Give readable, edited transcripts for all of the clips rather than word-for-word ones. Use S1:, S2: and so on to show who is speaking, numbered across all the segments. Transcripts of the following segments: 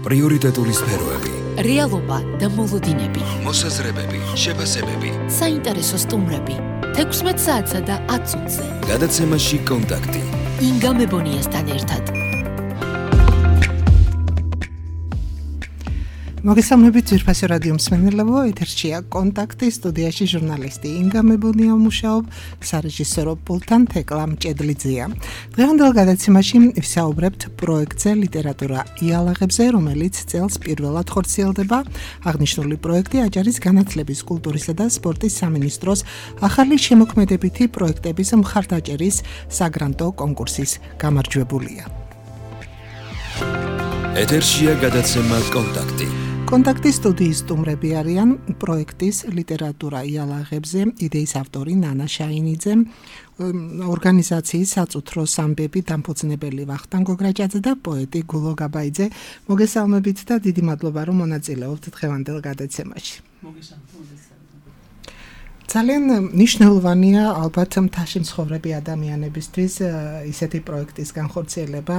S1: პრიორიტეტული სფეროები,
S2: რეალობა და მოლოდინები,
S1: მოსაზრებები, შეფასებები,
S2: საინტერესო სტუმრები, 16 საათსა და 10 წუთზე.
S1: გადაცემაში კონტაქტი.
S2: ინგა მებონიასთან ერთად.
S3: მოგესალმებით ძვირფასი რადიო მსმენელებო, ეთერშია კონტაქტი, სტუდიაში ჟურნალისტი ინგა მებონია მუშაობ, სარეჟისორო პულტთან თეკლა მჭედლიძეა. დღევანდელ გადაცემაში ვისაუბრებთ პროექტზე ლიტერატურა იალაღებზე, რომელიც წელს პირველად ხორციელდება. აღნიშნული პროექტი აჭარის განათლების, კულტურისა და სპორტის სამინისტროს ახალი შემოქმედებითი პროექტების მხარდაჭერის საგრანტო კონკურსის გამარჯვებულია.
S1: ეთერშია გადაცემა კონტაქტი.
S3: კონტაქტის სტუდიის სტუმრები არიან პროექტის ლიტერატურა იალაღებზე იდეის ავტორი ნანა შაინიძე, ორგანიზაციის საწუთროს ამბები დამფუძნებელი ვახტანგ გოგრაჭაძე და პოეტი გულო გაბაიძე. მოგესალმებით და დიდი მადლობა რომ მონაწილეობთ დღევანდელ გადაცემაში. ძალიან მნიშვნელოვანია ალბათ მთაში მცხოვრები ადამიანებისთვის ისეთი პროექტის განხორციელება,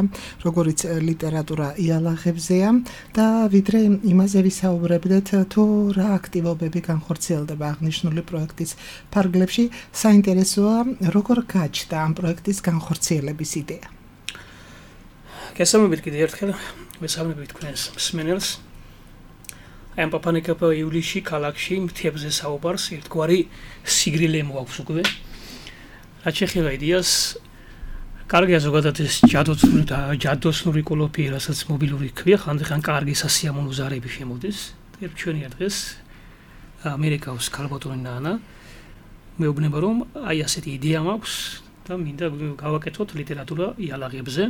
S3: როგორც ლიტერატურა იალაღებზეა და ვიდრე იმაზე ვისაუბრებდეთ, თუ რა აქტივობები განხორციელდება აღნიშნული პროექტის ფარგლებში, საინტერესოა როგორ გაჩნდა ამ პროექტის განხორციელების იდეა.
S4: გესალმებით კიდევ ერთხელ, მესალმებით თქვენს მსმენელს. ამ პაპანიკაპა ივლისში ქალაქში მთებზე საუბარს ერთგვარი სიგრილე მოაქვს უკვე. რაც შეეხება იდეას, კარგია ზოგადად ეს ჯადოსნური კოლოფი, რასაც მობილური ქვია, ხანდახან კარგი სასიამოვნო ზარები შემოდის. ჩვენია დღეს ამერიკავს ქალბატონი ნანა. მეუბნება რომ აი ასეთი იდეა მაქვს და მინდა გავაკეთოთ ლიტერატურა იალაღებზე.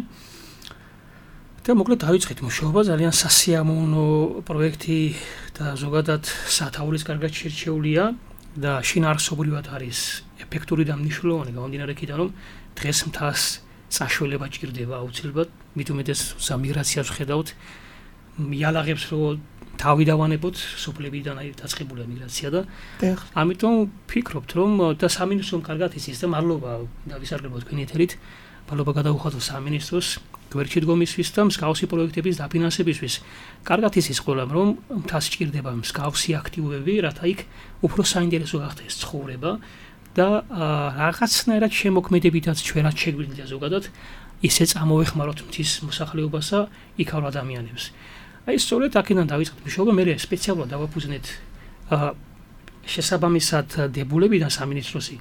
S4: და მოკლედ დავიწყეთ მუშაობა, ძალიან სასიამოვნო პროექტი და ზოგადად სათაურის კარგად შერჩეულია და შინაარსობრივად არის ეფექტური და მნიშვნელოვანი გამომდინარე იქიდან რომ დღეს მთას საშუალება ჭირდება აუცილებლად, მით უმეტეს მიგრაციას ვხედავთ, იალაღებს რო თავი დავანებოთ, სოფლებიდან დაწყებულია მიგრაცია და ამიტომ ვფიქრობთ რომ და სამინისტრომ კარგად იცის და მადლობა და ვისარგებლოთ თქვენი ეთერით, მადლობა გადაუხადოთ სამინისტროს გვერდში დგომისთვის და მსგავსი პროექტების დაფინანსებისთვის. კარგად იცის ყველამ რომ მთას ჭირდება მსგავსი აქტივობები, რათა იქ უფრო საინტერესო გახდეს ცხოვრება და რაღაცნაირად შემოქმედებითაც ჩვენაც შეგვიძლია ზოგადად ისე წამოვეხმაროთ მთის მოსახლეობასა იქავრ ადამიანებს. აი სწორედ აქედან დავიწყეთ მუშაობა, მე სპეციალურად დავაფუძნეთ შესაბამისად დებულებიდან სამინისტროსი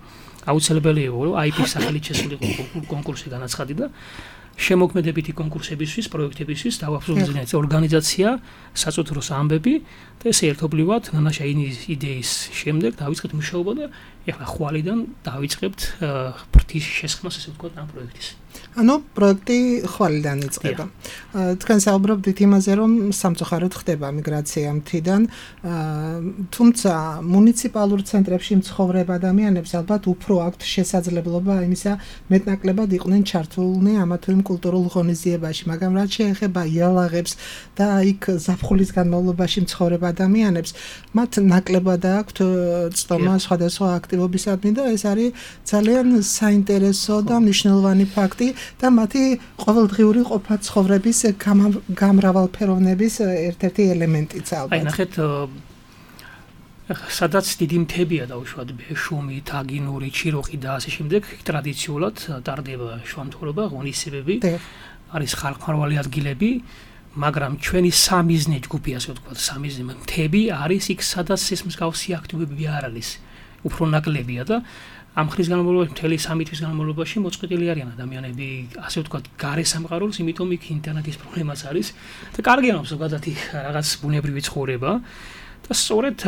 S4: აუცილებელი იყო რომ IP-ის სახელით შესულიყო კონკურსი განაცხადი და შემოქმედებითი კონკურსებისთვის, პროექტებისთვის დავაფუძნეთ ორგანიზაცია საწუთროს ამბები და ეს ერთობლივად ნანა შაინიძის იდეის შემდეგ დავიწყეთ მუშაობა და ეხლა ხვალიდან დავიწყებთ ფრთის შესხმას, ესე ვთქვათ, ამ პროექტის. ანუ პროექტი ხვალიდან იწყება. თქვენ საუბრობთ იმაზე, რომ სამწუხაროდ ხდება მიგრაცია მთიდან, თუმცა მუნიციპალურ ცენტრებში მცხოვრებ ადამიანებს ალბათ უფრო აქვთ შესაძლებლობა იმისა მეტნაკლებად იყვნენ ჩართულნი ამა თუ იმ კულტურულ ღონისძიებაში, მაგრამ რაც შეეხება იალაღებს და იქ ზაფხულის განმავლობაში მცხოვრებ ადამიანებს, მათ ნაკლებად აქვთ წტომა სხვადასხვა აქტივობისადმი და ეს არის ძალიან საინტერესო და მნიშვნელოვანი ფაქტი და მათი ყოველდღიური ყოფა ცხოვრების გამრავალფეროვნების ერთ-ერთი ელემენტიც ალბათ. აი ნახეთ, სადაც დიდი მთებია დაუშვათ ბეშუმი, თაგინური, ჩიროხი და ასე შემდეგ, ტრადიციულად ტარდება შუამთვრობა, ღონისძიებები, არის ხალხმრავალი ადგილები, მაგრამ ჩვენი სამიზნე ჯგუფი, ასე ვთქვათ, სამიზნე მთები არის იქ, სადაც ეს მსგავსი აქტივობები არ არის, უფრო ნაკლებია და ამ ხნის განმავლობაში, მთელი 3 თვის განმავლობაში მოწყობილი არიან ადამიანები, ასე ვთქვათ, გარე სამყაროს, იმიტომ იქ ინტერნეტის პრობლემაც არის და კარგია რომ ზოგადად რაღაც ბუნებრივი ცხოვრება და სწორედ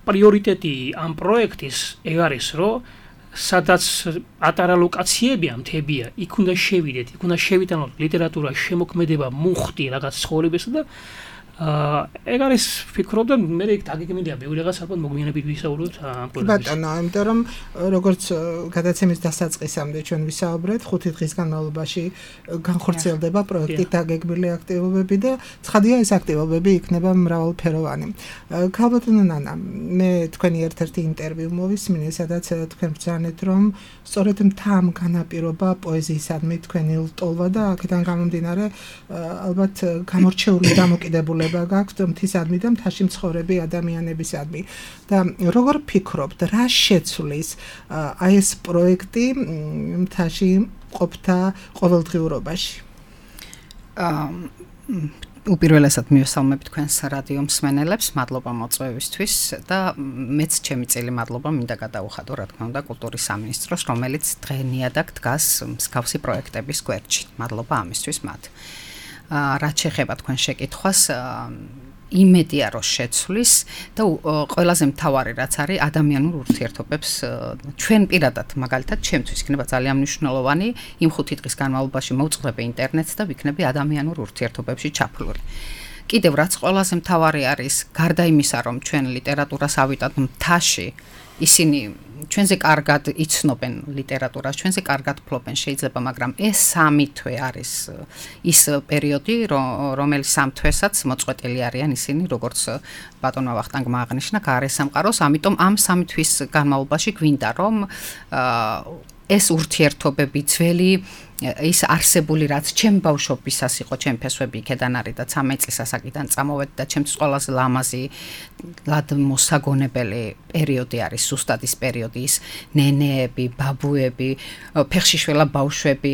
S4: პრიორიტეტი ამ პროექტის ეგ არის, რომ სადაც ატარა ლოკაციებია, მთებია, იქ უნდა შევიდეთ, იქ უნდა შევიტანოთ ლიტერატურა, შემოქმედება, მუხტი, რაღაც ცხოვრებისა და ეგ არის ვფიქრობ და მე იქ დაგეგმილია ბევრი რაღაც ალბათ მოგვიანებით ვისაუბროთ ამ პროექტის.
S3: ბატონო, იმიტომ რომ როგორც გადაცემის დასაწყისამდე ჩვენ ვისაუბრეთ, 5 დღის განმავლობაში განხორციელდება პროექტი დაგეგმილი აქტივობები და ცხადია ეს აქტივობები იქნება მრავალფეროვანი. ქალბატონო ნანა, მე თქვენი ერთ-ერთი ინტერვიუ მოვისმინე, სადაც თქვენ ბრძანეთ, რომ სწორედ მთა განაპირობა პოეზიისადმი თქვენი ლტოლვა და აქედან გამომდინარე ალბათ გამორჩეული დამოკიდებულება გაქვთ მთისადმი და მთაში მცხოვრები ადამიანებისადმი. და როგორ ფიქრობთ, რა შეცვლის აი ეს პროექტი მთაში ყოფთა ყოველდღიურობაში?
S5: უპირველესად მივესალმები თქვენს რადიო მსმენელებს, მადლობა მოწვევისთვის და მეც ჩემი წელი მადლობა მინდა გადაუხადო, რა თქმა უნდა, კულტურის სამინისტროს, რომელიც დღენიადაგ დგას მსგავსი პროექტების გვერდში. მადლობა ამისთვის მათ. რაც შეეხება თქვენ შეკითხვას, იმედია რომ შეცვლის და ყველაზე მთავარი რაც არის ადამიანურ ურთიერთობებს ჩვენ პირადად მაგალითად ჩემთვის იქნება ძალიან მნიშვნელოვანი იმ 5 დღის განმავლობაში მოვწყდები ინტერნეტს და ვიქნები ადამიანურ ურთიერთობებში ჩაფლული. კიდევ რაც ყველაზე მთავარი არის, გარდა იმისა რომ ჩვენ ლიტერატურას ავიტანთ მთაში, ისინი ჩვენზე კარგად იცნობენ ლიტერატურას, ჩვენზე კარგად ფლობენ შეიძლება, მაგრამ ეს 3 თვე არის ის პერიოდი, რომელიც 3 თვესაც მოწყვეტილი არიან ისინი, როგორც ბატონმა ვახტანგმა აღნიშნა, გარესამყაროს, ამიტომ ამ 3 თვის განმავლობაში გვინდა რომ ეს ურთიერთობები ძველი ის არსებული რაც ჩემ ბავშვობისას იყო, ჩემ ფესვები იქედან არის და 13 წლის ასაკიდან წამოვედი და ჩემთვის ყველაზე ლამაზი ლად მოსაგონებელი პერიოდი არის ზუსტად ის პერიოდი, ის ნენეები, ბაბუები, ფეხშიშველა ბავშვები,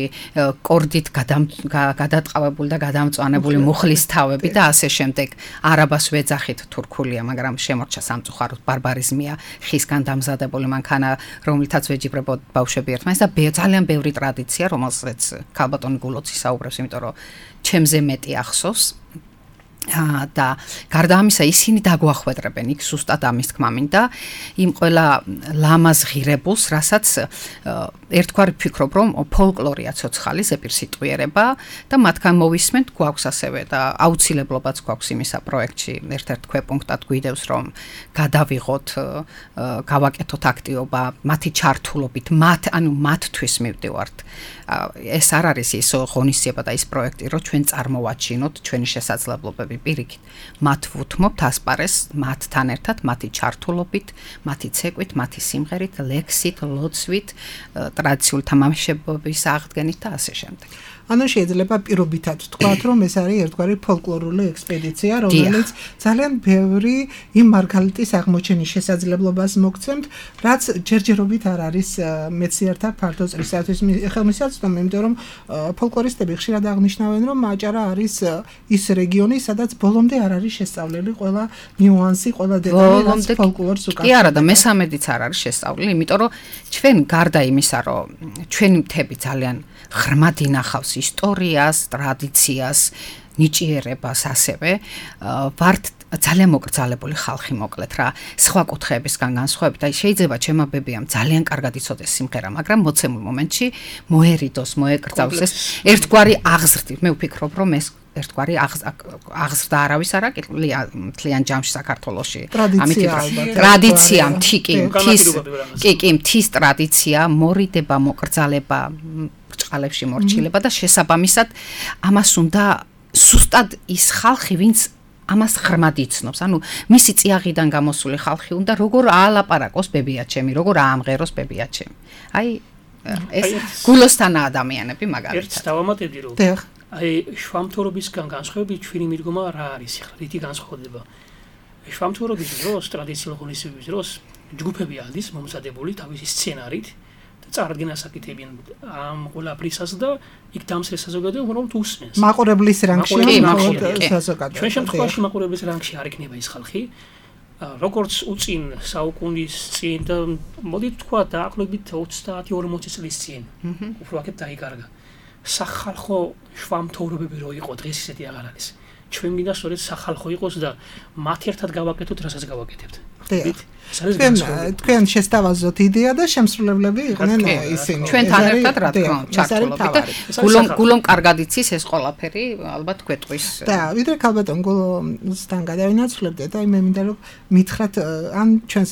S5: კორდით გადატყავებული და გადამწვანებული მუხლის თავები და ასე შემდეგ. არაბას ვეძახით თურქულია, მაგრამ შემორჩა სამწუხაროდ ბარბარიზმია, ხისგან დამზადებული მანქანა, რომლითაც ვეჯიბრებოდ ბავშვები ერთმანეთს და ძალიან ბევრი ტრადიცია, რომელსაც ქალბატონი გულოცი საუბრებს, იმიტომ რომ ჩემზე მეტი ახსოვს. და გარდა ამისა ისინი დაგვახვედრებენ იქ ზუსტად ამის თქმა მინდა იმ ყველა ლამაზ ღირებულს, რასაც ერთგვარი ვფიქრობ რომ ფოლკლორია ცოცხალი ზეპირსიტყვიერება და მათგან მოვისმენთ, გვაქვს ასევე და აუცილებლობაც გვაქვს იმისა პროექტში ერთ-ერთ ქვეპუნქტად გვიდევს რომ გადავიღოთ, გავაკეთოთ აქტივობა მათი ჩართულობით, მათთვის მივდივართ. ეს არ არის ის ღონისძიება და ის პროექტი, რომ ჩვენ წარმოვაჩინოთ ჩვენი შესაძლებლობები პირიქით. მათ ვუთმობთ ასპარეს მათთან ერთად, მათი ჩართულობით, მათი ცეკვით, მათი სიმღერით, ლექსით, ლოცვით, ტრადიციული თამაშების აღდგენით და ასე შემდეგ.
S3: ანუ შეიძლება პირობითად თქვათ, რომ ეს არის ერთგვარი ფოლკლორული ექსპედიცია, რომელიც ძალიან ბევრი იმ მარგალიტის აღმოჩენის შესაძლებლობას მოგცემთ, რაც ჯერჯერობით არ არის მეცნიერთა ფართო წრისათვის ხელმისაწვდომი, იმიტომ რომ ფოლკლორისტები ხშირად აღნიშნავენ, რომ აჭარა არის ის რეგიონი, სადაც ბოლომდე არ არის შესწავლილი ყველა ნიუანსი, ყველა დეტალი, რაც ფოლკლორს უკავშირდება.
S5: კი არა და მესამედიც არ არის შესწავლილი, იმიტომ რომ ჩვენ გარდა იმისა, რომ ჩვენი მთები ძალიან ღრმად ინახავს ისტორიას, ტრადიციას, ნიჭიერებას ასევე ვართ ძალიან მოკრძალებული ხალხი მოკლედ რა, სხვა კუთხეებისგან განსხვავებით, აი შეიძლება ჩემაბებიამ ძალიან კარგად იცოდეს სიმღერა, მაგრამ მოცემულ მომენტში მოერიდოს, მოეკრძალოს ეს ერთგვარი აღზრდით. მე ვფიქრობ, რომ ეს ერთგვარი აღზრდა არავის არ აკეთებია მთლიან ჯამში საქართველოში. ტრადიცია, მთის ტრადიცია, მორიდება, მოკრძალება, ბრჭყალებში მორჩილება და შესაბამისად ამას უნდა ზუსტად ის ხალხი, ვინც ამას ღრმად იცნობს. ანუ მისი წიაღიდან გამოსული ხალხი უნდა როგორ აალაპარაკოს ბებიაჩემი, როგორ აამღეროს ბებიაჩემი. აი ეს გულოსთანა ადამიანები მაგალითად.
S4: ერთს დავამატებდი რომ აი შვამთორობისგან განსხვავებით ჩვენი მიდგომა რა არის ახლა, რითი განსხვავდება. შვამთორობის დროს, ტრადიციულ ღონისძიებების დროს ჯგუფები არის მომზადებული თავისი სცენარით და წარდგენას აკეთებენ ამ ყველაფრისას და იქ დამსრეს საზოგადოება უბრალოდ უსმენს.
S3: მაყურებლის რანგში საზოგადოება.
S4: ჩვენ შემთხვევაში მაყურებლის რანგში არ იქნება ის ხალხი, როგორც უწინ საუკუნის წინ და მოდით თქვა დაახლოებით 30-40 წლის წინ. უფრო აქეთ დაიკარგა. სახალხო შვამთოვრობები რო იყო, დღეს ისეთი აღარ არის. ჩვენ მინდა სწორედ სახალხო იყოს და მათ ერთად გავაკეთოთ, რასაც გავაკეთებთ.
S3: თქვენ შესთავაზოთ იდეა და შემსრულებლები იყვნენ ისინი.
S5: ჩვენთან ერთად რა თქმა უნდა ჩართულობით და გულომ კარგად იცის ეს ყველაფერი ალბათ გვეტყვის.
S3: და ვიდრე ქალბატონ გულოსთან გადავინაცვლებდე და მე მინდა რომ მითხრათ ან ჩვენს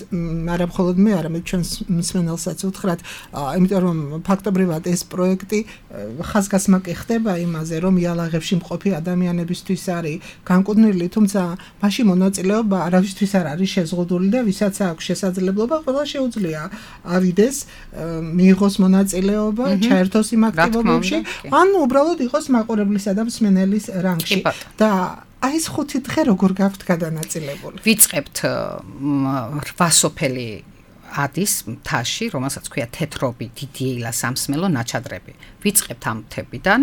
S3: არა მხოლოდ მე, არამედ ჩვენს მსმენელსაც ვთხრათ, იმიტომ რომ ფაქტობრივად ეს პროექტი ხაზგასმაკი ხდება იმაზე, რომ იალაღებში მყოფი ადამიანებისთვის არის განკუთვნილი, თუმცა მაშინ მონაწილეობა არავისთვის არ არის შეზღუდული და ვისაც აქვს შესაძლებლობა, ყველა შეუძლია ავიდეს, მიიღოს მონაწილეობა, ჩაერთოს იმ აქტივობებში, ან უბრალოდ იყოს მაყურებლისა და მსმენელის რანგში. და აი ეს 5 დღე როგორ გაქვთ გადანაწილებული?
S5: ვიწყებთ 8 სოფელი ადის მთაში, რომელსაც ქვია თეთრობი, დიდი ეილა, სამსმელო, ნაჩადრები. ვიწყებთ ამ მთებიდან.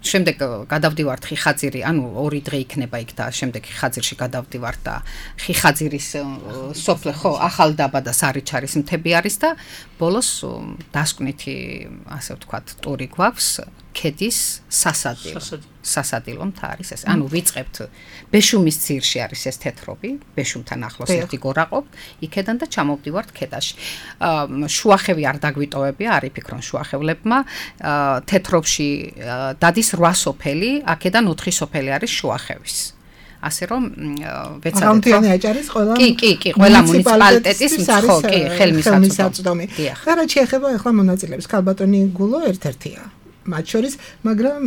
S5: შემდეგ გადავდივართ ხიხაძირი, ანუ 2 დღე იქნება იქ და შემდეგ ხიხაძირში გადავდივართ და ხიხაძირის სოფლე ხო ახალდაბა და სარიჩარის მთები არის და ბოლოს დასკვნითი ასე ვთქვათ ტური გვაქვს ქედის სასადილო მთა არის ეს. ანუ ვიწყებთ ბეშუმის ძირში არის ეს თეთრობი, ბეშუმთან ახლოს ერთი გორაყოფ, იქედან და ჩამოვდივართ ქედაში. შუახევი არ დაგვიტოვებია, არ იფიქრონ შუახევლებმა. თეთრობში დადის 8 სოფელი, აქედან 4 სოფელი არის შუახევის. ასე რომ ვეცადეთ
S3: გამთიანი აჭარის ყველა
S5: კი ყველა მუნიციპალიტეტის ხო კი ხელმისაწვდომი.
S3: და რაც შეეხება ახლა მონაწილეებს, ქალბატონი გულო ერთ-ერთია მათ შორის, მაგრამ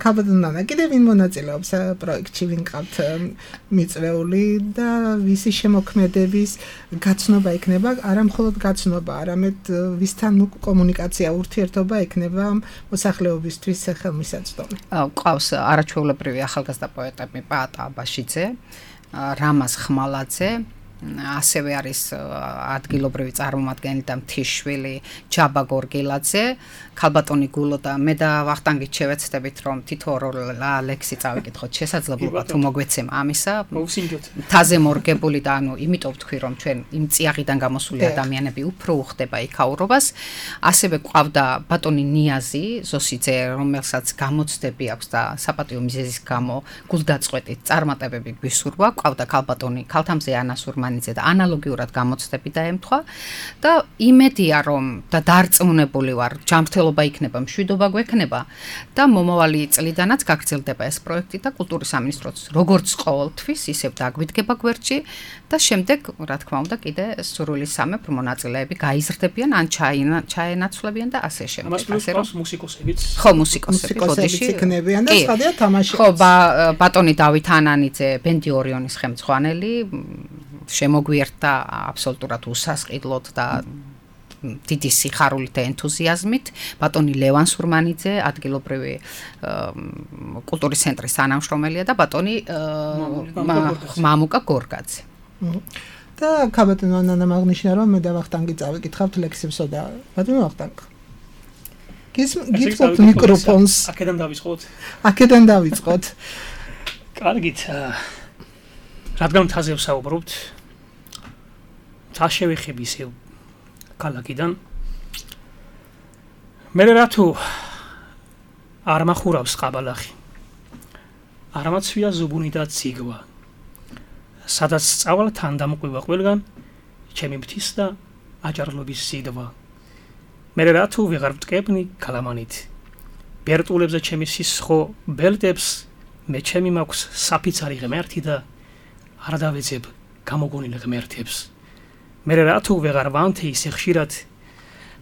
S3: ქალბატონ ნანა კიდევ ვინ მონაწილეობს პროექტში, ვინ ყავთ მიწვეული და ვისი შემოქმედების გაცნობა იქნება, არა მხოლოდ გაცნობა, არამედ ვისთან კომუნიკაცია, ურთიერთობა იქნება მოსახლეობისთვის ხელმისაწვდომი.
S5: ყავს არაჩვეულებრივი ახალგაზრდა პოეტები პაატა აბაშიძე, რამაზ ხმალაძე, ასევე არის ადგილობრივი წარმომადგენელი და მთიშვილი ჯაბა გორგილაძე, ქალბატონი გულო და მე და ვახტანგით შევეცდებით რომ თითო ლექსი წავიკითხოთ შესაძლებლობა თუ მოგვეცემა ამისა. მთაზე მორგებული და ანუ იმიტომ ვთქვი რომ ჩვენ იმ წიაღიდან გამოსული ადამიანები უფრო უხდება იქაურობას. ასევე ყავდა ბატონი ნიაზი ზოსიძე, რომელსაც გამოცდები აქვს და საპატიო მიზეზის გამო გულდაწყვეტით წარმატებები გვისურვა. ყავდა ქალბატონი ქალთამზე ანა სურმანიძე და ანალოგიურად გამოცდები დაემთხვა და იმედია რომ და დარწმუნებული ვარ ჯანმრთელობა იქნება, მშვიდობა გვექნება და მომავალი წლიდანაც გაგრძელდება ეს პროექტი და კულტურის სამინისტროც როგორც ყოველთვის ისევ დაგვიდგება გვერდში და შემდეგ რა თქმა უნდა კიდე სურვილის სამეფ მონაწილეები გაიზრდებიან ან ჩაენაცვლებიან და ასე შემდეგ.
S4: ასე რომ მუსიკოსებიც
S5: ხო მუსიკოსები ბოდიში
S3: იქნებიან და სხვადასხვა თამაშებს.
S5: ხო ბატონი დავით ანანიძე, ბენდი ორიონის ხელმძღვანელი შემოგვიერთდა აბსოლუტურად უსასყიდლოდ და დიდი სიხარულით და ენთუზიაზმით. ბატონი ლევან სურმანიძე, ადგილობრივი კულტურის ცენტრის თანამშრომელია და ბატონი მამუკა გორგაძე.
S3: და ქალბატონ ნანა მაგნიშნა რომ მე და ვახტანგი წავიკითხავთ ლექსებსო და ბატონო ვახტანგ. გითხოვთ მიკროფონს. აქედან დავიწყოთ.
S4: კარგით. რადგან მთაზე ვსაუბრობთ, მთა შევეხები ისევ ქალაქიდან. მე რა თუ არ მახურავს ყაბალახი. არ მაცვია ზუბუნი და ციგვა. სადაც სწავლა თან დამყვება ყველგან ჩემი მთის და აჭარლობის სიდვა. მე რა თუ ვეღარ ვტკებნი კალამანით. ბერტულებზე ჩემი სისხლო ბელტებს მე ჩემი მაქვს საფიცარი ღმერთი და არ დავეცებ გამოგონილ ღმერთებს. მე რა თუ ვეღარ ვანთი ისე ხშირად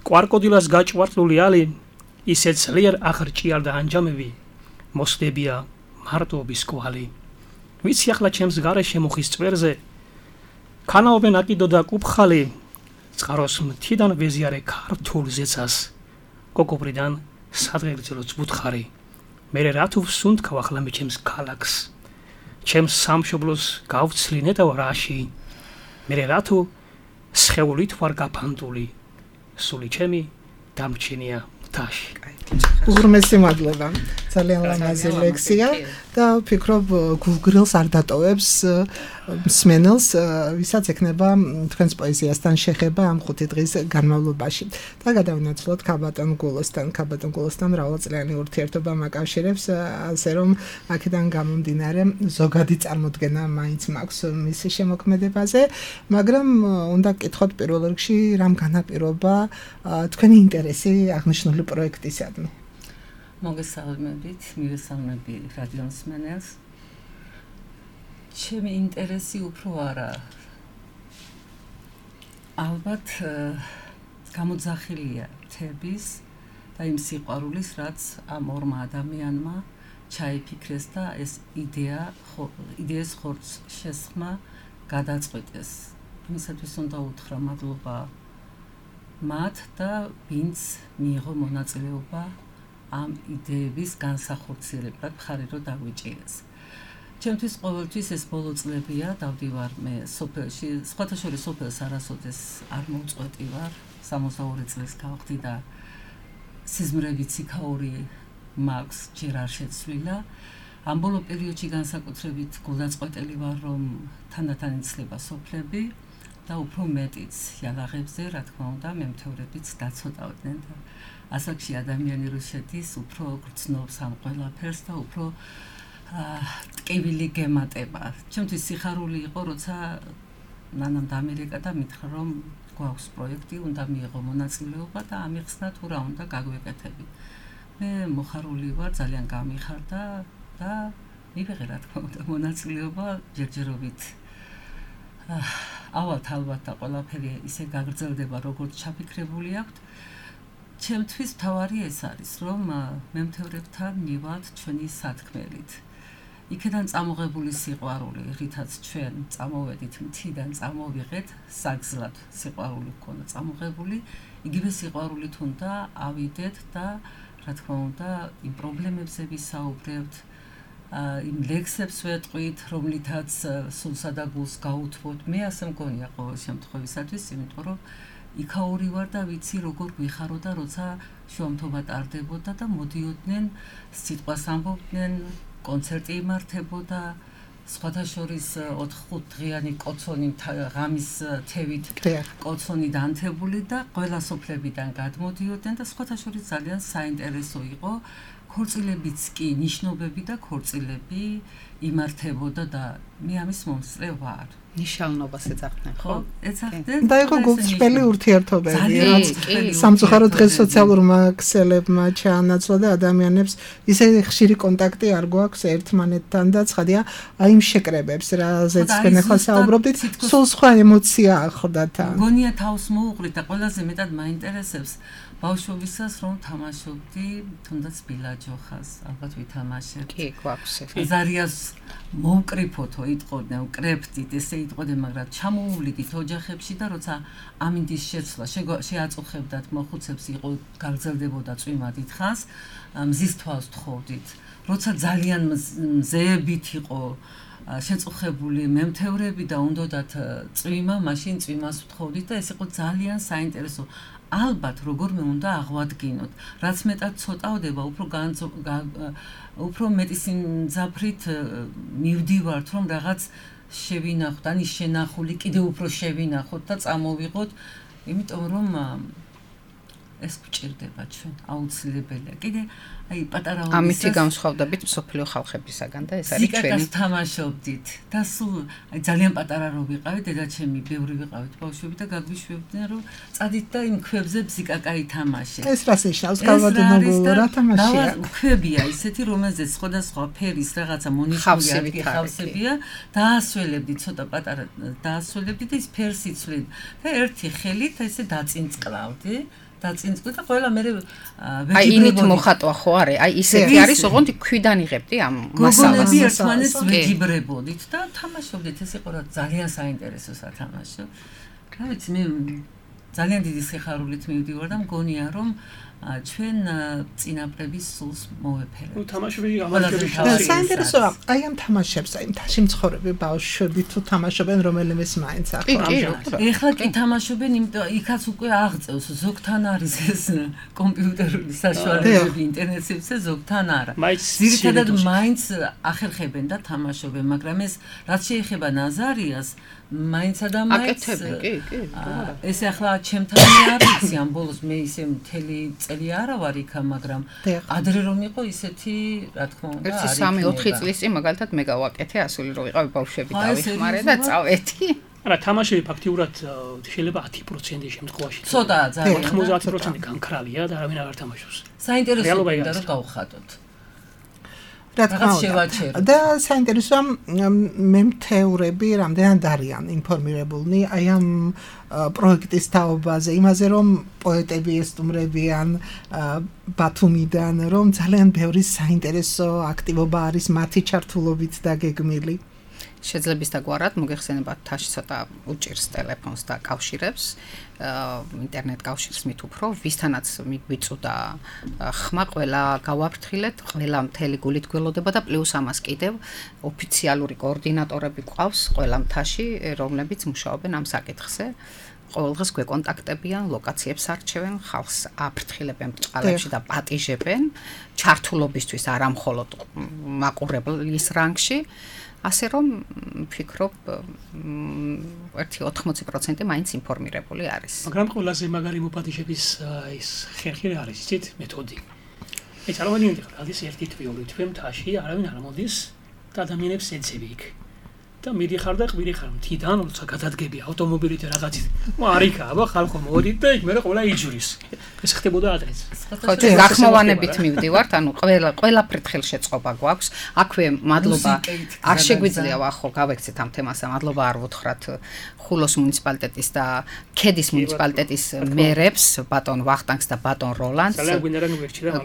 S4: კვარკოდილას გაჭვარტლული ალი ისე ძლიერ აღრჭიალ და ანჯამები მოსდებია მარტოობის კვალი. ვიცი ახლა ჩემს გარეშე მუხის წვერზე ქანაობენ აკიდო და კუფხალი წყაროს მთიდან ვეზიარე ქართულ ზეცას კოკობრიდან სადღეგრძელოც ბუთხარი. მე რა თუ ვსუნთქავ ახლა მე ჩემს ქალაქს ჩემს სამშობლოს გავცლინე და რაში. მე რა თუ სხეულით ვარ გაფანტული სული ჩემი დამჩენია მთაში.
S3: უღრმესი მადლობა. ძალიან ლამაზი ლექსია და ვფიქრობ გულგრილს არ დატოვებს მსმენელს, ვისაც ექნება თქვენს პოეზიასთან შეხება ამ 5 დღის განმავლობაში. და გადავინაცვლოთ ქაბატონ გულოსთან მრავალწლიანი ურთიერთობა მაკავშირებს, ასე რომ აქედან გამომდინარე ზოგადი წარმოდგენა მაინც მაქვს მის შემოქმედებაზე, მაგრამ უნდა გკითხოთ პირველ რიგში რამ განაპირობა თქვენი ინტერესი აღნიშნული პროექტისადმი.
S6: მოგესალმებით, მივესალმები რადიო მსმენელს. ჩემი ინტერესი უფრო არა ალბათ გამოძახილია მთების და იმ სიყვარულის, რაც ამ ორმა ადამიანმა ჩაიფიქრეს და ეს იდეის ხორცს შესხმა გადაწყვიტეს. იმისათვის უნდა უთხრა მადლობა მათ და ვინც მიიღო მონაწილეობა ამ იდეების განსახორციელებლად, მხარი რომ დაგვიჭირეს. ჩემთვის ყოველთვის ეს ბოლო წლებია, დავდივარ მე სოფელში, სხვათა შორის სოფელს არასოდეს არ მოვწყვეტი ვარ, 62 წლის გავხდი და სიზმრებით სიქაური მაქვს ჯერ არ შეცვლილა. ამ ბოლო პერიოდში განსაკუთრებით გულდაწყვეტელი ვარ, რომ თანდათან იცლება სოფლები და უფრო მეტიც იალაღებზე, რა თქმა უნდა, მემთევრებიც დაცოტავდნენ და ასაკში ადამიანი რო შედის, უფრო გრძნობს ამ ყველაფერს და უფრო ტკივილი გემატება. ჩემთვის სიხარული იყო, როცა ნანამ დამერეკა და მითხრა, რომ გვაქვს პროექტი, უნდა მიიღო მონაწილეობა და ამიხსნა თუ რა უნდა გაგვეკეთები. მე მოხარული ვარ, ძალიან გამიხარდა და მივიღე, რა თქმა უნდა, მონაწილეობა ჯერჯერობით. ალბათ და ყველაფერი ისე გაგრძელდება, როგორც ჩაფიქრებული აქვთ. ჩემთვის თავარი ეს არის, რომ მემთევრებთან მივალთ ჩვენი სათქმელით. იქედან წამოღებული სიყვარული, რითაც ჩვენ წამოვედით მთიდან, წამოვიღეთ საგზლად სიყვარული გქონდა წამოღებული, იგივე სიყვარულით უნდა ავიდეთ და რა თქმა უნდა, იმ პრობლემებზე ვისაუბრებთ, იმ ლექსებს ვეტყვით, რომლითაც სულსა და გულს გაუთმოთ. მე ასე მგონია ყოველ შემთხვევისათვის, იმიტომ რომ იქაური ვარ და ვიცი როგორ გვიხარო და როცა შუამთობა ტარდებოდა და მოდიოდნენ, სიტყვას ამბობდნენ, კონცერტი იმართებოდა, სხვათა შორის 4-5 დღიანი კოცონი ღამის თევით კოცონი დანთებული და ყველა სოფლებიდან გადმოდიოდნენ და სხვათა შორის ძალიან საინტერესო იყო. ქორწილებიც კი, ნიშნობები და ქორწილები იმართებოდა და მე ამის მომსწრე ვარ.
S5: ნიშნულობას ეძახდნენ, ხო?
S6: ეძახდნენ.
S3: და იყო გულწრფელი ურთიერთობები, რაც სამწუხაროდ დღეს სოციალურმა ქსელებმა ჩაანაცვლა და ადამიანებს ისე ხშირი კონტაქტი არ გვაქვს ერთმანეთთან და ცხადია აი იმ შეკრებებს, რაზეც თქვენ ახლა საუბრობდით, სულ სხვა ემოცია ახლდა თან.
S6: გონია თავს მოუყრით და ყველაზე მეტად მაინტერესებს ბავშვობისას რომ თამაშობდი, თუნდაც ბილაჯოხას, ალბათ ვითამაშებთ.
S5: კი, გვაქვს.
S6: ზარიას მოვკრიფოთო იტყოდნენ, ვკრებდით, ესე იტყოდნენ, მაგრამ ჩამოუვლიდით ოჯახებში და როცა ამინდის შეცვლა შეაწუხებდათ მოხუცებს, იყო გაგრძელდებოდა წვიმა დიდხანს, მზის თვალს თხოვდით. როცა ძალიან მზეებით იყო შეწუხებული მემთევრები და უნდათ წვიმა, მაშინ წვიმას ვთხოვდით და ეს იყო ძალიან საინტერესო. ალბათ როგორმე უნდა აღვადგინოთ, რაც მეტად ცოტავდება, უფრო მეტი სიმძაფრით მივდივართ, რომ რაღაც შევინახოთ, ან შენახული კიდევ უფრო შევინახოთ და წამოვიღოთ, იმიტომ რომ ეს გვჭირდება ჩვენ, აუცილებელია. კიდე აი პატარაობისას
S5: ამითი განსხვავდებით მსოფლიო ხალხებისაგან და ეს არის ჩვენი.
S6: ზიკაკას თამაშობდით და სულ აი ძალიან პატარა რო ვიყავით, დედაჩემი ბევრი ვიყავით ბავშვები და გაგვიშვებდნენ, რომ წადით და იმ ქვებზე ზიკაკა ითამაშეთ.
S3: ეს რას ნიშნავს? გავადმოგულო რა თამაშია?
S6: ქვებია ისეთი, რომელზეც სხვადასხვა ფერის რაღაცა მონიჭებული ხავსებია, დაასველებდით ცოტა პატარა, დაასველებდით და ის ფერს იცვლით და ერთი ხელით ესე დაწინწყლავდი. და ყველა მე ვეჯიბრებოდი.
S5: აი ინით მოხატვა ხო არის? აი ისეთი არის, ოღონდ ქვიდან იღებდი ამ მასალას.
S6: გოგონები ერთმანეთს ვეჯიბრებოდით და თამაშობდით, ეს იყო ძალიან საინტერესო სათამაშო. რა ვიცი, მე ძალიან დიდი სიხარულით მივდივარ და მგონია, რომ ჩვენ წინაპრების სულს მოვეფერებთ.
S4: ნუ თამაშები ამასები
S3: საინტერესოა, აი ამ თამაშებს, აი მთაში მცხოვრები ბავშვები თუ თამაშობენ რომელიმეს მაინც ახლა.
S6: ეხლა კი თამაშობენ, იმიტომ იქაც უკვე აღწევს, ზოგთან არის ეს კომპიუტერული საშუალებები ინტერნეტზე, ზოგთან არა. ძირითადად მაინც ახერხებენ და თამაშობენ, მაგრამ ეს რაც შეეხება ნაზარიას, მაინცა და მაინც ეს ახლა ჩემთანი არ ვიცი ამ ბოლოს მე ისე მთელი წელი არა ვარ იქა, მაგრამ ადრე რომ იყო ისეთი, რა თქმა უნდა,
S5: არის 3-4 წლის წინ მაგალითად მე გავაკეთე ასული რომ ვიყავი ბავშვები დავიხმარე და წავედი.
S4: არა, თამაშები ფაქტიურად შეიძლება 10% შემთხვევაში.
S6: ცოტაა ძალიან.
S4: 90% განკრალია და არავინ არ თამაშობს.
S6: საინტერესოა რომ გავხატოთ.
S3: რა თქმა უნდა. და საინტერესოა მემთეურები რამდენად არიან ინფორმირებულნი აი ამ პროექტის თაობაზე, იმაზე რომ პოეტები ესტუმრებიან ბათუმიდან, რომ ძალიან ბევრი საინტერესო აქტივობა არის მათი ჩართულობით და გეგმილი.
S5: შეძლებს და გვარად მოგეხსენებათ თაში ცოტა უჭირს ტელეფონს და კავშირებს ინტერნეტ კავშირს მით უფრო ვისთანაც მიგვიწოდა ხმა ყველა გავაფრთხილეთ ყველა მთელი გულით გველოდება და პლუს ამას კიდევ ოფიციალური კოორდინატორები ყავს ყველა მთაში რომლებიც მუშაობენ ამ საკითხზე ყოველდღეს გვეკონტაქტებიან ლოკაციებს არჩევენ ხალხს აფრთხილებენ ბჭყალებში და პატიჟებენ ჩართულობისთვის არა მხოლოდ მაყურებლის რანგში ასე რომ ვფიქრობ 80% მაინც ინფორმირებული არის.
S4: მაგრამ ყველაზე მაგარი მოპატიჟების ის ხერხი არის, იცით, მეთოდი. ეს წარმოვიდგინეთ ახლა, არის ერთი თვე, თვე მთაში, არავინ არ მოდის და ადამიანებს ეძები იქ. და მიდიხარ და ყვირიხარ მთიდან, როცა გადადგები ავტომობილით რაღაცით. არიქა, აბა ხალხო მოდით და იქ მე ყველა იჯვრის. ეს ხდებოდა ადრეც.
S5: ხო, გახმოვანებით მივდივართ, ანუ ყველა ფრთხილ შეწყობა გვაქვს. აქვე მადლობა არ შეგვიძლია ახო გავექცეთ ამ თემას, მადლობა არ ვუთხრათ ხულოს მუნიციპალიტეტის და ქედის მუნიციპალიტეტის მერებს, ბატონ ვახტანგს და ბატონ როლანდს.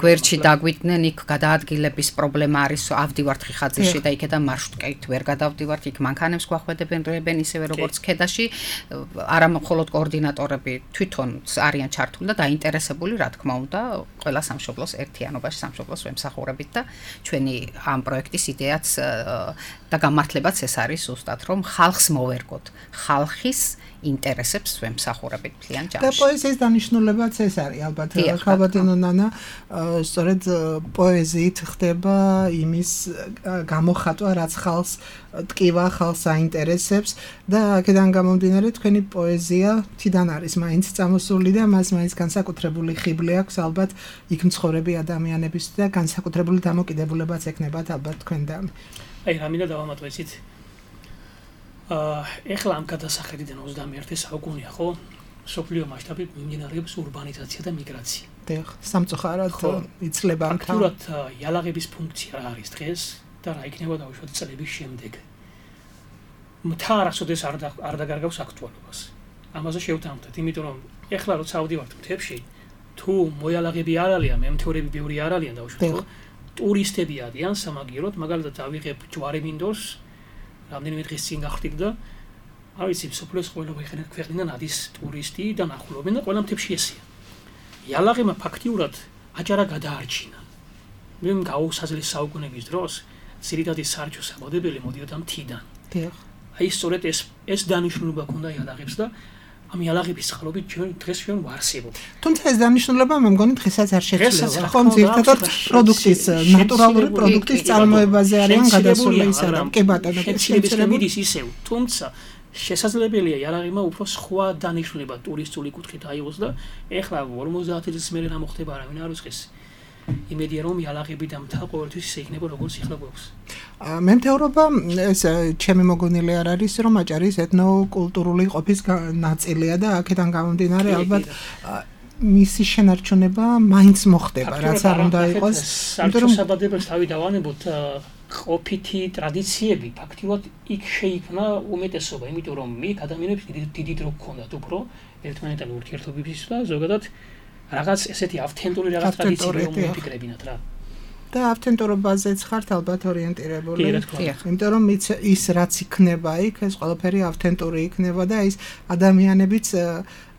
S5: გვერდში დაგვიდნენ, იქ გადაადგილების პრობლემა არის, ავდივართ ხიხაძეში და იქედან მარშრუტკით ვერ გადავდივართ, იქ მანქანებს გვახვედებენ ისევე როგორც ქედაში, არა მხოლოდ კოორდინატორები თვითონ არიან ჩართული და დაინტერესებული, რა თქმა უნდა, ყველა სამშობლოს ერთიანობაში სამშობლოს ვემსახურებით და ჩვენი ამ პროექტის იდეაც და გამართლებაც ეს არის ზუსტად რომ ხალხს მოვერგოთ, ხალხის ინტერესებს ვემსახურებით მთლიან ჯამში.
S3: და პოეზიის დანიშნულებაც ეს არის ალბათ, ხალბატონო ნანა, სწორედ პოეზიით ხდება იმის გამოხატვა, რაც ხალხს ტკივა, ხალხს აინტერესებს და აქედან გამომდინარე თქვენი პოეზია თიდან არის მაინც წამოსული და მას მაინც განსაკუთრებული ხიბლი აქვს ალბათ იქ მცხოვრები ადამიანების და განსაკუთრებული დამოკიდებულებაც ექნებათ ალბათ თქვენთან.
S4: აი რამინდა დავამატვეცით. ეხლა ამ გადასახედიდან 21 საუკუნეა, ხო? სოფლიო მასშტაბით მიმდინარეობს ურბანიზაცია და მიგრაცია.
S3: დიახ, სამწუხაროდ იცლება ამ
S4: ფაქტურად იალაღების ფუნქცია რა არის დღეს და რა იქნება დაუშვათ წლების შემდეგ. მთა არასოდეს არ დაგარგავს აქტუალობას. ამაზე შევთანხმდით, იმიტომ რომ ეხლა როცა ავდივართ მთებში, თუ მოიალაღები არ არიან, მემთეურები ბევრი არ არიან დაუშვათ, ხო? ტურისტები არიან სამაგიეროდ, მაგალითად ავიღებ ჯვარი მინდორს რამდენიმე დღის წინ გახდით და არ ვიცი, სოფლიოს ყველა ქვეყნიდან არის ტურისტი და ნახულობენ და ყველა მთებში ესეა. იალაღებმა ფაქტიურად აჭარა გადაარჩინა. მე გაუსაძლეს საუკუნეების დროს ძირითადი სარჩო საბოდებელი მოდიოდა მთიდან.
S3: დიახ.
S4: აი სწორედ ეს დანიშნულება ჰქონდა იალაღებს და ამ იალაღების წყალობით დღეს ჩვენ ვარსებობ.
S3: თუმცა ეს დანიშნულება მე მგონი დღესაც არ შეცვლება. ხომ ზირთადად პროდუქტის, ნატურალური პროდუქტის წარმოებაზე არიან გადასული ის არა. კი ბატონო,
S4: შეცვლები ისევ. თუმცა შესაძლებელია იალაღებმა უფრო სხვა დანიშნულება ტურისტული კუთხით აიღოს და ეხლა 50 წლის მერე რა მოხდება არავინ არ უწყეს. იმედია რომ იალაღები და მთა ყოველთვის ისე იქნება როგორც ეხლა გვაქვს.
S3: მემთეურობა ეს ჩემი მოგონილი არ არის რომ აჭარის ეთნოკულტურული ყოფის ნაწილია და აქედან გამომდინარე ალბათ მისი შენარჩუნება მაინც მოხდება რაც არ უნდა იყოს.
S4: იმიტომ რომ საბადებას თავი დავანებოთ ყოფითი ტრადიციები ფაქტიურად იქ შეიქმნა უმეტესობა, იმიტომ რომ მე ადამიანებს დიდი დრო გქონდათ უფრო ერთმანეთთან ურთიერთობისთვის და ზოგადად რაღაც ესეთი ავთენტური რაღაც ტრადიციები რომ მოფიქრებინათ რა.
S3: და ავთენტურობაზეც ხართ ალბათ ორიენტირებული. იმიტომ რომ ის რაც იქნება იქ, ეს ყველაფერი ავთენტური იქნება და ის ადამიანებიც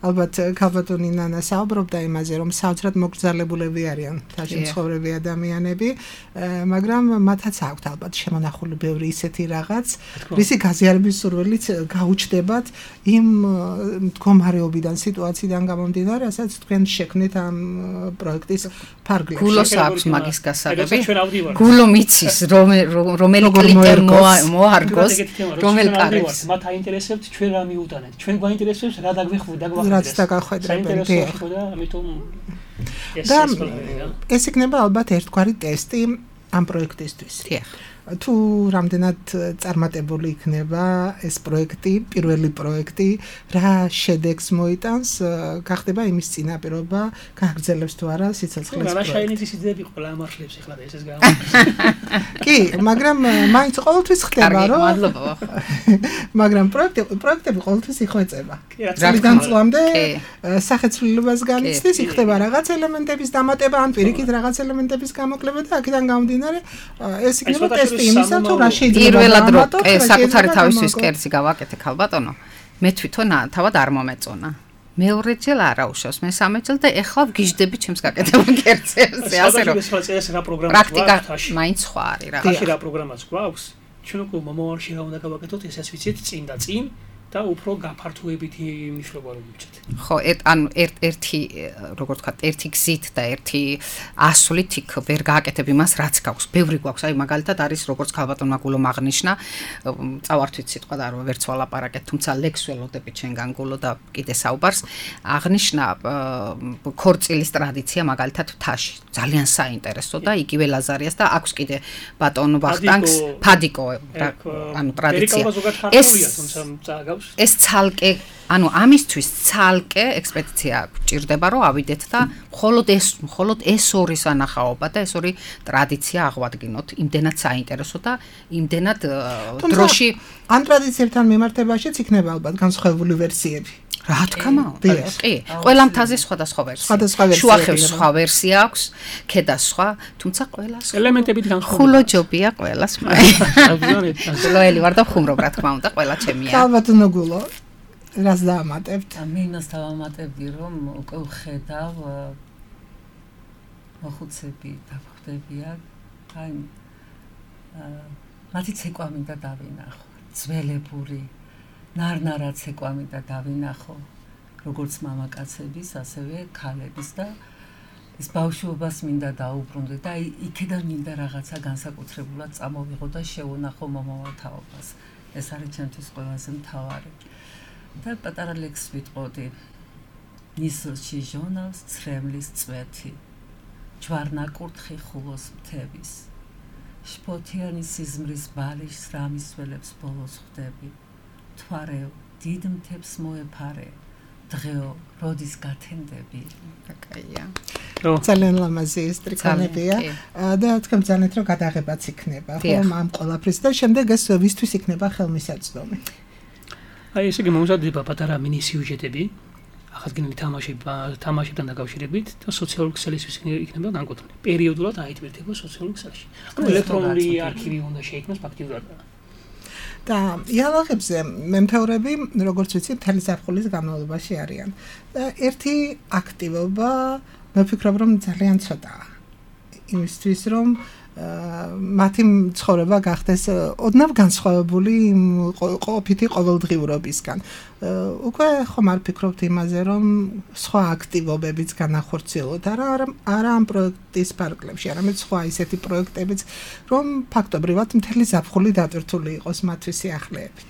S3: ალბათ ქალბატონი ნანა საუბრობდა იმაზე, რომ საოცრად მოგრძალებულები არიან თაში მცხოვრები ადამიანები, მაგრამ მათაც აქვთ ალბათ შემონახული ბევრი ისეთი რაღაც, რისი გაზიარების სურვილით გაუჩნდებათ იმ მდგომარეობიდან, სიტუაციიდან გამომდინარე, რასაც თქვენ შექმნით ამ პროექტის ფარგლებში.
S5: გულოს აქვს მაგის გასაღები. გულო მიცის რომელი კლიკერ მოარგოს, რომელ კარებს.
S4: მათ აინტერესებთ ჩვენ რა მიუტანეთ. ჩვენ გვაინტერესებს რა დაგვიხვდა.
S3: რაც დაგახვედრებენ.
S4: ამიტომ
S3: ეს იქნება ალბათ ერთგვარი ტესტი ამ პროექტისთვის. თუ რამდენად წარმატებული იქნება ეს პროექტი, პირველი პროექტი, რა შედეგს მოიტანს, გახდება იმის წინაპირობა, გაგრძელებს თუ არა სიცოცხლის პროექტი.
S4: განაშაინების იდეები ყველა ამართლებს ეხლა და ესეც გავა.
S3: კი, მაგრამ მაინც ყოველთვის ხდება, რომ
S5: მადლობა.
S3: მაგრამ პროექტები ყოველთვის იხვეწება. წლიდან წლამდე სახეცვლილებას განიცდის, იქნება რაღაც ელემენტების დამატება, ან პირიქით რაღაც ელემენტების გამოკლება და აქედან გამომდინარე ეს იქნება ტესტი იმისა, თუ რა შეიძლება
S5: პირველად რო საკუთარი თავისთვის კერძი გავაკეთე ქალბატონო, მე თვითონ თავად არ მომეწონა. მეორეჯერ არა უშავს, მესამეჯერ და ეხლა ვგიჟდები ჩემს გაკეთებულ კერძებზე, ასე რომ პრაქტიკა მაინც სხვა არის რა.
S4: ხაში რა პროგრამაც გვაქვს? ჩვენ უკვე მომავალში რა უნდა გავაკეთოთ, ესეც ვიცით წინ და წინ და უფრო გაფართოებითი მნიშვნელობა რომ მივჭეთ.
S5: ხო, ანუ ერთი, როგორ ვთქვათ, ერთი გზით და ერთი ასვლით იქ ვერ გააკეთებ იმას, რაც გაქვს. ბევრი გვაქვს, აი მაგალითად არის როგორც ქალბატონმა გულომ აღნიშნა, წავართვით სიტყვა და არ ვერც ვალაპარაკეთ, თუმცა ლექს ველოდებით ჩვენგან გულო და კიდე საუბარს. აღნიშნა ქორწილის ტრადიცია მაგალითად თაში. ძალიან საინტერესო და იგივე ლაზარიას და აქვს კიდე ბატონ ვახტანგს ფადიკო, ანუ ტრადიცია. ეს ცალკე, ანუ ამისთვის ცალკე ექსპედიცია გჭირდება, რომ ავიდეთ და მხოლოდ ეს ორი სანახაობა და ეს ორი ტრადიცია აღვადგინოთ. იმდენად საინტერესო და იმდენად დროში
S3: ამ ტრადიციებთან მიმართებაშიც იქნება ალბათ განსხვავებული ვერსიები.
S5: რა თქმა უნდა, კი. ყველა მთაზე სხვადასხვა ვერსია. შუახევს სხვა ვერსია აქვს, ქედა სხვა, თუმცა ყველას
S4: ელემენტებით განსხვავებული.
S5: ხულოჯობია ყველას. გულოელი ვარ და ხუმრობ, რა თქმა უნდა, ყველა ჩემია.
S3: ქალბატონო გულო, რას დაამატებთ?
S6: მე იმას დავამატებდი, რომ უკვე ვხედავ მოხუცები დახვდებიან, აი მათი ცეკვა მინდა დავინახო, ძველებური ნარნარა ცეკვა მინდა დავინახო, როგორც მამაკაცების, ასევე ქალების და ეს ბავშვობას მინდა დაუბრუნდე და იქიდან მინდა რაღაცა განსაკუთრებულად წამოვიღო და შევუნახო მომავალ თაობას. ეს არის ჩემთვის ყველაზე მთავარი. და პატარა ლექს ვიტყოდი. ნისლში ჟონავს ცრემლის წვეთი. ჯვარნაკურთხი ხულოს მთების. შფოთიანი სიზმრის ბალიშს რამისველებს ბოლოს ხვდები. თვარეო დიდ მთებს მოეფარე. დღეო როდის გათენდები.
S5: კაია.
S3: ძალიან ლამაზი ეს ტრიკონებია და თქვენ ძალეთ რომ გადაღებაც იქნება, ხომ ამ ყველაფრის და შემდეგ ეს ვისთვის იქნება ხელმისაწვდომი.
S4: აი ესე იგი მომზადდება პატარა მინი სიუჟეტები, ახალგაზრდული თამაშებთან დაკავშირებით და სოციალური ქსელისთვის იქნება განკუთვნილი. პერიოდულად აიტვირთება სოციალურ ქსელში. ანუ ელექტრონული არქივი უნდა შეიქმნას ფაქტიურად.
S3: და იალაღებზე მემთევრები, როგორც ვიცი, მთელი ზაფხულის განმავლობაში არიან. და ერთი აქტივობა, მე ვფიქრობ, რომ ძალიან ცოტაა. იმისთვის, რომ მათი ცხოვრება გახდეს ოდნავ განსხვავებული ყოფითი ყოველდღიურობისგან. უკვე ხომ არ ფიქრობთ იმაზე, რომ სხვა აქტივობებიც განახორციელოთ, არა ამ პროექტის ფარგლებში, არამედ სხვა ისეთი პროექტებიც, რომ ფაქტობრივად მთელი ზაფხული დატვირთული იყოს მათთვის სიახლეებით.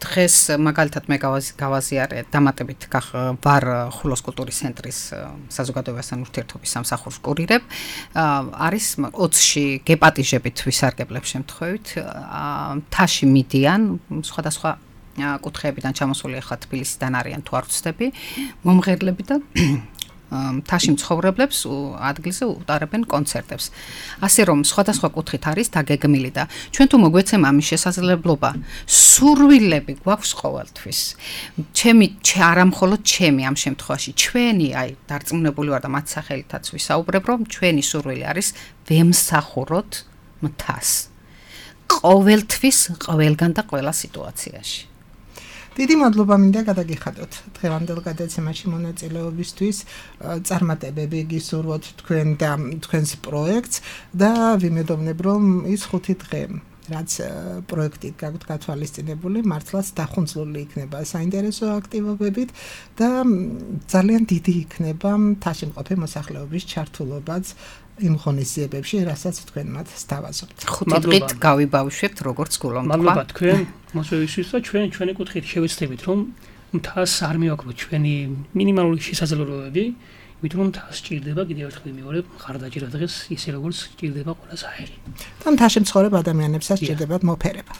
S5: დღეს მაგალითად მე გავაზიარე დამატებით ვარ ხულოს კულტურის ცენტრის საზოგადოებასთან ურთიერთობის სამსახურს კურირებ. არის 20-ში გეპატიჟებით ვისარგებლებ შემთხვევით, თაში მიდიან სხვადასხვა კუთხეებიდან ჩამოსული ახლა თბილისიდან არიან თუ არ ვცდები, მომღერლები და თაში მცხოვრებლებს ადგილზე უტარებენ კონცერტებს. ასე რომ სხვადასხვა კუთხით არის დაგეგმილი და ჩვენ თუ მოგვეცემა ამის შესაძლებლობა, სურვილები გვაქვს ყოველთვის. არა მხოლოდ ჩემი ამ შემთხვევაში, ჩვენი, აი დარწმუნებული ვარ და მათ სახელითაც ვისაუბრებ, რომ ჩვენი სურვილი არის ვემსახუროთ მთას. ყოველთვის, ყველგან და ყველა სიტუაციაში.
S3: დიდი მადლობა მინდა გადაგიხადოთ დღევანდელ გადაცემაში მონაწილეობისთვის. წარმატებები გისურვოთ თქვენ და თქვენს პროექტს და ვიმედოვნებ რომ ის 5 დღე რაც პროექტით გაქვთ გათვალისწინებული მართლაც დახუნძლული იქნება საინტერესო აქტივობებით და ძალიან დიდი იქნება მთაში მყოფი მოსახლეობის ჩართულობაც იმ ღონისძიებებში, რასაც თქვენ მათ სთავაზობთ.
S5: 5 დღით გავიბავშვებთ როგორც გულო თქვა.
S4: მადლობა თქვენ მოსვევისთვის და ჩვენი კუთხით შევეცდებით რომ მთას არ მივაკლოთ ჩვენი მინიმალური შესაძლებლობები, იმიტომ რომ მთას სჭირდება კიდევ ერთხელ მივიორებ მხარდაჭერა დღეს ისე როგორც სჭირდება ყველა საერი.
S3: და მთაში მცხოვრებ ადამიანებსაც სჭირდებათ მოფერება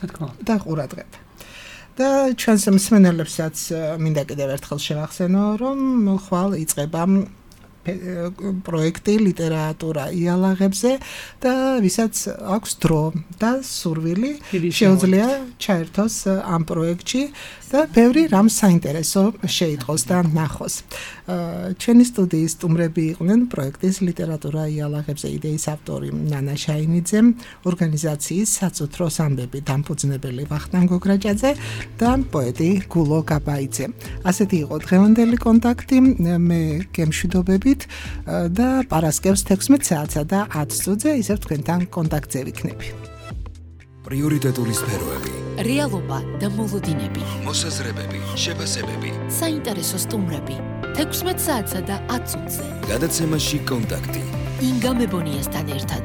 S3: და ყურადღება. და ჩვენს მსმენელებსაც მინდა კიდევ ერთხელ შევახსენო, რომ ხვალ იწყება პროექტი ლიტერატურა იალაღებზე და ვისაც აქვს დრო და სურვილი შეუძლია ჩაერთოს ამ პროექტში და ბევრი რამ საინტერესო შეიტყოს და ნახოს. ჩვენი სტუდიის სტუმრები იყვნენ პროექტის ლიტერატურა იალაღებზე იდეის ავტორი ნანა შაინიძე, ორგანიზაციის საწუთროს ამბები დამფუძნებელი ვახტანგ გოგრაჭაძე და პოეტი გულო გაბაიძე. ასეთი იყო დღევანდელი კონტაქტი. მე გემშვიდობებით და პარასკევს 16 საათსა და 10 წუთზე ისევ თქვენთან კონტაქტზე ვიქნები.
S1: პრიორიტეტული სფეროები,
S2: რეალობა და მოლოდინები,
S1: მოსაზრებები, შეფასებები,
S2: საინტერესო სტუმრები 16 საათსა და 10 წუთზე.
S1: გადაცემაში კონტაქტი.
S2: ინგა მებონიასთან ერთად.